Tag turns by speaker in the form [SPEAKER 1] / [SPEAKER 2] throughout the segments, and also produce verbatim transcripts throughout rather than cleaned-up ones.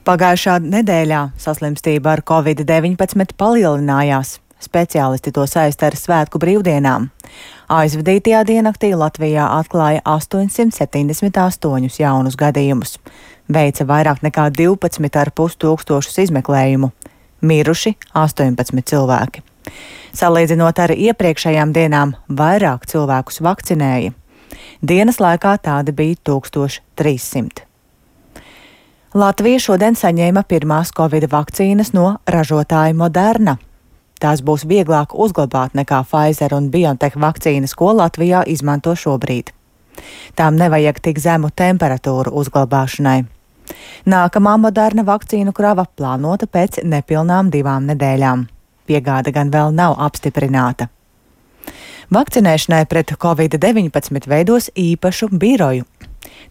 [SPEAKER 1] Pagājušā nedēļā saslimstība ar covid deviņpadsmit palielinājās. Speciālisti to saista ar svētku brīvdienām. Aizvadītajā diennaktī Latvijā atklāja astoņsimt septiņdesmit astoņus jaunus gadījumus. Veica vairāk nekā divpadsmit ar pus tūkstošus izmeklējumu. Miruši astoņpadsmit cilvēki. Salīdzinot ar iepriekšējām dienām, vairāk cilvēkus vakcinēja. Dienas laikā tādi bija tūkstoš trīssimt. Latvija šodien saņēma pirmās covid vakcīnas no ražotāja Moderna. Tās būs vieglāk uzglabāt nekā Pfizer un BioNTech vakcīnas, ko Latvijā izmanto šobrīd. Tām nevajag tik zemu temperatūru uzglabāšanai. Nākamā Moderna vakcīnu krava plānota pēc nepilnām divām nedēļām. Piegāde gan vēl nav apstiprināta. Vakcinēšanai pret covid deviņpadsmit veidos īpašu biroju.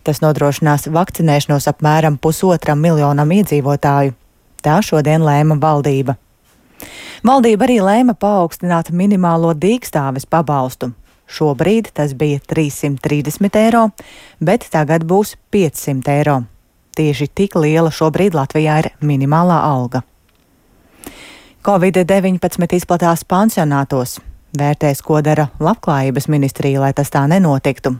[SPEAKER 1] Tas nodrošinās vakcinēšanos apmēram pusotram miljonam iedzīvotāju. Tā šodien lēma valdība. Valdība arī lēma paaugstināt minimālo dīkstāves pabalstu. Šobrīd tas bija trīssimt trīsdesmit eiro, bet tagad būs piecsimt eiro. Tieši tik liela šobrīd Latvijā ir minimālā alga. covid deviņpadsmit izplatās pansionātos. Vērtēs, ko dara Labklājības ministrija, lai tas tā nenotiktu.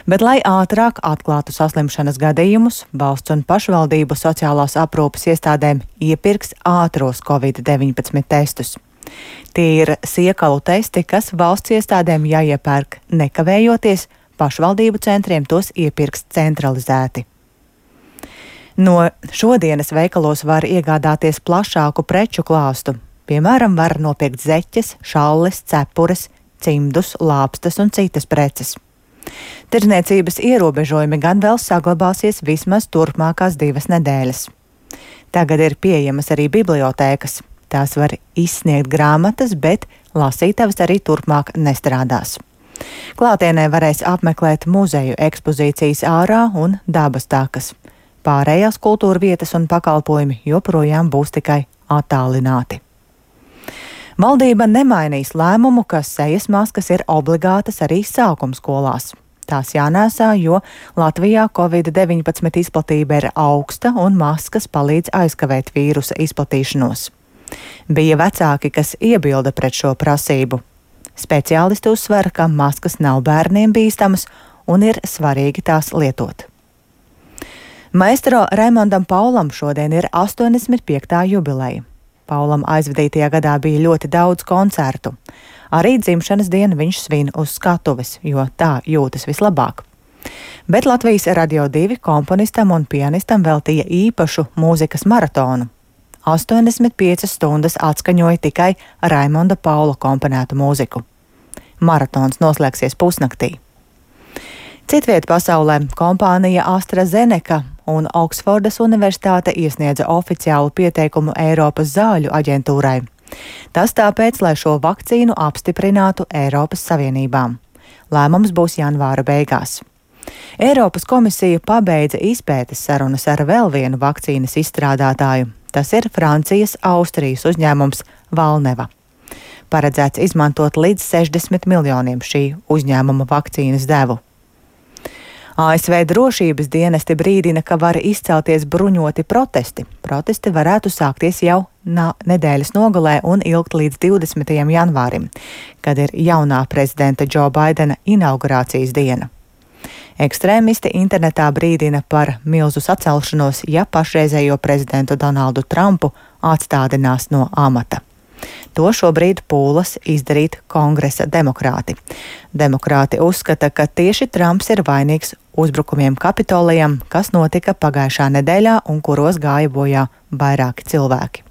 [SPEAKER 1] Bet, lai ātrāk atklātu saslimšanas gadījumus, valsts un pašvaldību sociālās aprūpes iestādēm iepirks ātros covid deviņpadsmit testus. Tie ir siekalu testi, kas valsts iestādēm jāiepērk nekavējoties, pašvaldību centriem tos iepirks centralizēti. No šodienas veikalos var iegādāties plašāku preču klāstu. Piemēram, var nopirkt zeķes, šalles, cepures, cimdus, lāpstas un citas preces. Tirdzniecības ierobežojumi gan vēl saglabāsies vismaz turpmākās divas nedēļas. Tagad ir pieejamas arī bibliotēkas. Tās var izsniegt grāmatas, bet lasītavas arī turpmāk nestrādās. Klātienē varēs apmeklēt muzeju ekspozīcijas ārā un dabas takas. Pārējās kultūra vietas un pakalpojumi joprojām būs tikai attālināti. Valdība nemainīs lēmumu, ka sejas maskas ir obligātas arī sākumskolās. Tās jānēsā, jo Latvijā covid deviņpadsmit izplatība ir augsta un maskas palīdz aizkavēt vīrusa izplatīšanos. Bija vecāki, kas iebilda pret šo prasību. Speciālisti uzsver, ka maskas nav bērniem bīstamas un ir svarīgi tās lietot. Maestro Raimondam Paulam šodien ir astoņdesmit piektā jubileja. Paulam aizvadītajā gadā bija ļoti daudz koncertu. Arī dzimšanas dienu viņš svin uz skatuves, jo tā jūtas vislabāk. Bet Latvijas Radio divi komponistam un pianistam veltīja īpašu mūzikas maratonu. astoņdesmit piecas stundas atskaņoja tikai Raimonda Paula komponētu mūziku. Maratons noslēgsies pusnaktī. Citviet pasaulē kompānija AstraZeneca un Oksfordas universitāte iesniedza oficiālu pieteikumu Eiropas zāļu aģentūrai. Tas tāpēc, lai šo vakcīnu apstiprinātu Eiropas Savienībām. Lēmums būs janvāra beigās. Eiropas komisija pabeidza izpētes sarunas ar vēl vienu vakcīnas izstrādātāju. Tas ir Francijas Austrijas uzņēmums Valneva. Paredzēts izmantot līdz sešdesmit miljoniem šī uzņēmuma vakcīnas devu. A S V drošības dienesti brīdina, ka var izcelties bruņoti protesti. Protesti varētu sākties jau nedēļas nogalē un ilgt līdz divdesmitajam janvārim, kad ir jaunā prezidenta Džo Baidena inaugurācijas diena. Ekstrēmisti internetā brīdina par milzu sacelšanos, ja pašreizējo prezidentu Donaldu Trumpu atstādinās no amata. To šobrīd pūlas izdarīt kongresa demokrāti. Demokrāti uzskata, ka tieši Trumps ir vainīgs uzbrukumiem Kapitolijam, kas notika pagājušā nedēļā un kuros gāja bojā vairāki cilvēki.